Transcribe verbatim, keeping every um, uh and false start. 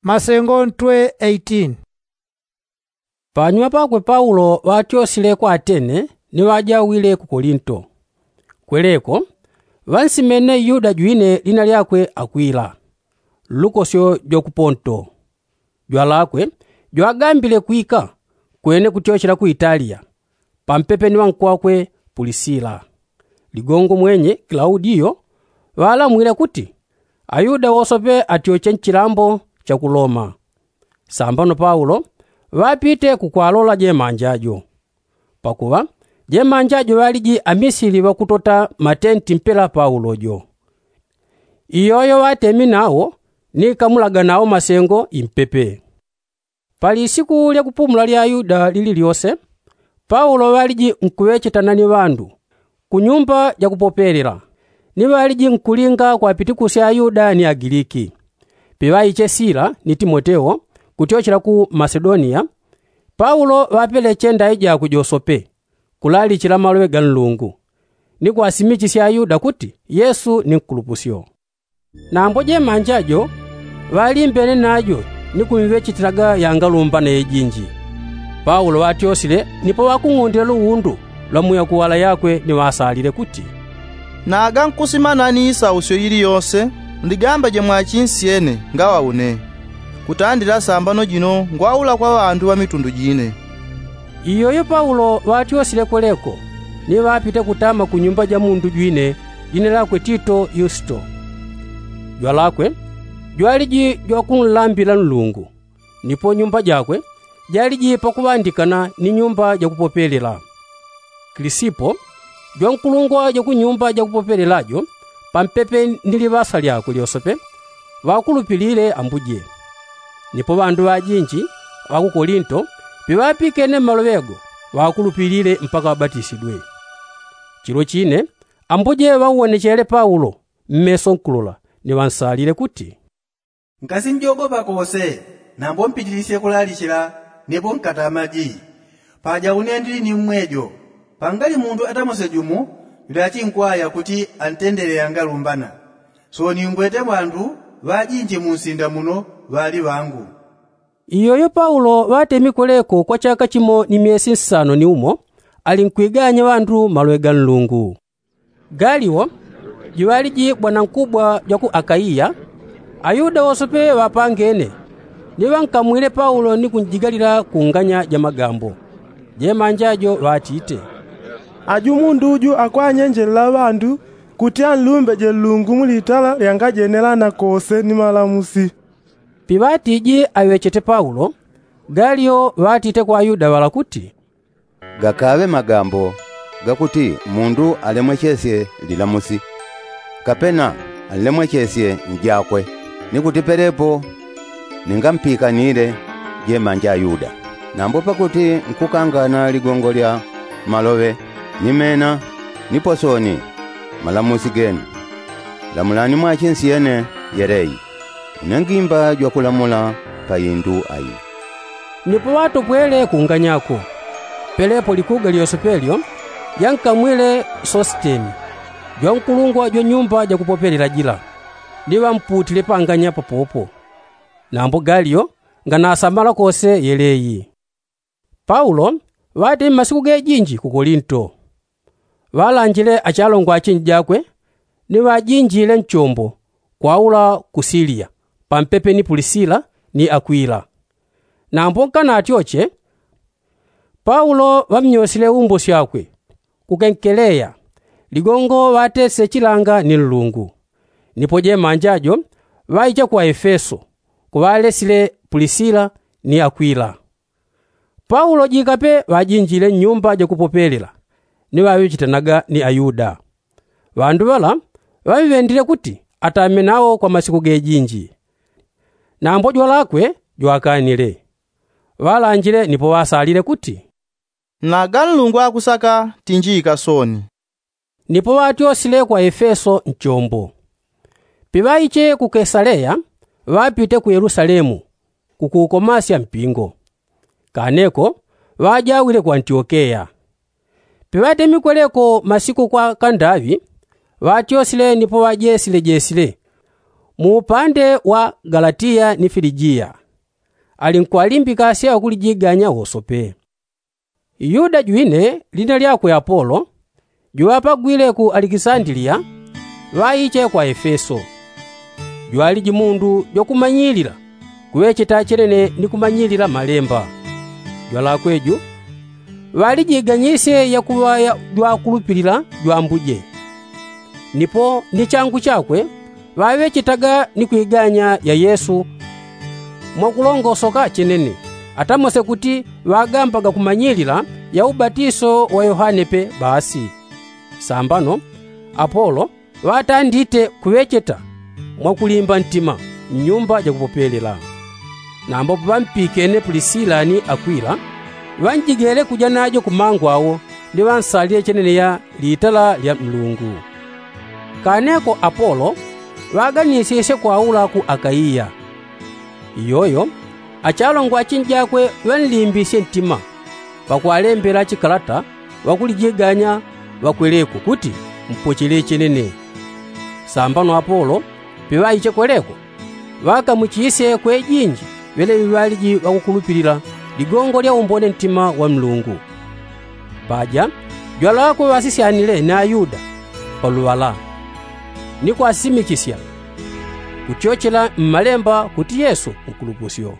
Masengo ntwe eighteen. Panyuma pakwe paulo ŵatyosile kwa atene ni ŵajawile ku kolinto. Kweleko ŵansimene yuda jwine lina lyakwe akwila, lukosyo jwa ku ponto. Jwalakwe jwagambile kwika kwene kutyochela ku italiya, pampepe ni ŵankwakwe pulisila. Ligongo mwenye klaudiyo ŵalamwile kuti ayuda wosope atyoche nchilambo cha ku loma. Sambano paulo ŵapite kukwalola jemanja jo. Pakuŵa jemanja jo ŵaliji amisili ŵakutota matenti mpela paulo jo. Iyoyo ŵatemi nawo ni kamulaga nawo masengo impepe. Pali siku lya kupumula lya ayuda lili lyose, paulo ŵaliji nkuŵechetana ni ŵandu ku nyumba ja kupopelela, ni ŵaliji nkulinga kwapitikusya ayuda ni agiliki. Piŵaiche sila ni timoteo kutyochela ku masedoniya, paulo ŵapeleche ndai jakwe josope kulalichila maloŵe ga nlungu, ni kwasimichisya ayuda kuti yesu ni nkulupusyo. Nambo jemanja jo ŵalimbene najo ni kumŵechetilaga yangalumbana yejinji. Paulo ŵatyosile nipo ŵakung'undile luwundu lwa muyakuwala yakwe ni ŵasalile kuti, naga nkusimana ni isausyo ili yose, ndigamba jemwachinsyene ngaŵa une kutandila sambano jino ngwaula kwa ŵandu ŵa mitundu jine. Iyoyo paulo ŵatyosile kweleko ni ŵapite kutama ku nyumba ja mundu jwine jina lakwe tito yusto. Jwalakwe jwaliji jwakunlambila nlungu, nipo nyumba jakwe jaliji pakuŵandikana ni nyumba ja kupopelela. Kilisipo jwankulungwa ja ku nyumba ja kupopelela jo pampepe ni liŵasa lyakwe lyosope ŵakulupilile ambuje. Nipo ŵandu ŵajinji ŵa ku kolinto piŵapikene mmaloŵe go ŵakulupilile mpaka ŵabatisidwe. Chilo chine ambuje ŵauwonechele paulo mmeso nkulola ni ŵansalile kuti, nkasinjogopa kose nambo mpitilisye kulalichila nipo nkatamaji. Paja une ndili ni mmwejo pangali mundu atamose jumo yudachinkwaya kuti antendele yangalumbana. Sooni ngwete ŵandu ŵajinji mu nsinda muno ŵali ŵangu. Iyoyo paulo ŵatemi kweleko kwa chaka chimo ni myesi nsano ni umo ali nkwiganya ŵandu maloŵe ga nlungu. Galio juŵaliji bwanankubwa jwa ku akaiya. Ayuda wosope ŵapangene ni ŵankamwile paulo ni kunjigalila ku nganya ja magambo. Jemanja jo ŵatite, aju mundu uju akwanyenjelela ŵandu kuti anlumbeje nlungu mu litala lyangajenelana kose ni malamusi. Piŵatiji aŵechete paulo, galio ŵatite kwa ayuda ŵala kuti, gakaŵe magambo gakuti mundu alemwechesye lilamusi kapena anlemwechesye njakwe, ni kuti pelepo ningampikanile jemanja ayuda. Nambo pakuti nkukangana ligongo lya maloŵe ni mena nipo sooni malamusi genu, lamulani mwachinsyene yeleyi. Une ngimba jwakulamula pa indu ayi. Nipo ŵatopwele kunganyako, pelepo likuga lyosepelyo lyankamwile sositeni jwankulungwa jwa nyumba jakupopelela jila, ni ŵamputile panganya papopo. Nambo galio nganasamala kose yeleyi. Paulo ŵatemi masiku gejinji ku kolinto. Ŵalanjile achalongwa achinji jakwe ni ŵajinjile nchombo kwaula ku siliya pampepe ni pulisila ni akwila. Nambo nkanatyoche, paulo ŵamnyosile umbo syakwe ku kenkeleya, ligongo ŵatesile chilanga ni nlungu. Nipo jemanja jo ŵaicha ku aefeso kuŵalesile pulisila ni akwila. Paulo jikape ŵajinjile nnyumba jakupopelela ni ŵaŵechitanaga ni ayuda. Ŵandu ŵala ŵamŵendile kuti atame nawo kwa masiku gejinji. Nambo jwalakwe jwakanile. Ŵalanjile nipo ŵasalile kuti, naga nlungu akusaka tinjiika sooni. Nipo ŵatyosile kwa efeso nchombo. Piŵaiche ku kesaleya ŵapite ku yelusalemu kukuukomasya mpingo. Kaneko ŵajawile ku antiokeya. Piŵatemikweleko masiku kwa kandaŵi ŵatyosile nipo ŵajesile jesile Mu upande wa galatiya ni filijiya, ali nkwalimbika sya wakulijiganya wosope. Yuda jwine lina lyakwe apolo, juŵapagwile ku alikisandiliya, ŵaiche kwa efeso. Jwaliji mundu jwakumanyilila kuŵecheta chenene ni kumanyilila malemba. Jwalakwe ju ŵalijiganyisye yakuŵa jwakulupilila jwambuje. Nipo ni changu chakwe ŵaŵechetaga ni kwiganya ya yesu mwakulongosoka chenene, atamose kuti ŵagambaga kumanyilila ya ubatiso wa yohane pe basi. Sambano apolo ŵatandite kuŵecheta mwakulimba ntima mnyumba jakupopelela. Nambo paŵampikene pulisila ni akwila, ŵanjigele kuja najo kumangu awo ni ŵansalile chenene ya litala lya nlungu. Kaneko apolo ŵaganisisye kwaula ku akaiya. Iyoyo achalongo achinjakwe ŵanlimbisye ntima pakwalembela chikalata ŵakulijiganya ŵakweleko kuti mpochele chenene. Sambano apolo piŵaiche kweleko ŵakamwichisye kwejinji ŵeleli ŵaliji ŵakukulupilila ligongo lya umbone ntima wa nlungu. Paja jwalakwe ŵasisyanile ni ayuda paluŵala ni kwasimichisya kutyochela mmalemba kuti yesu nkulupusyo.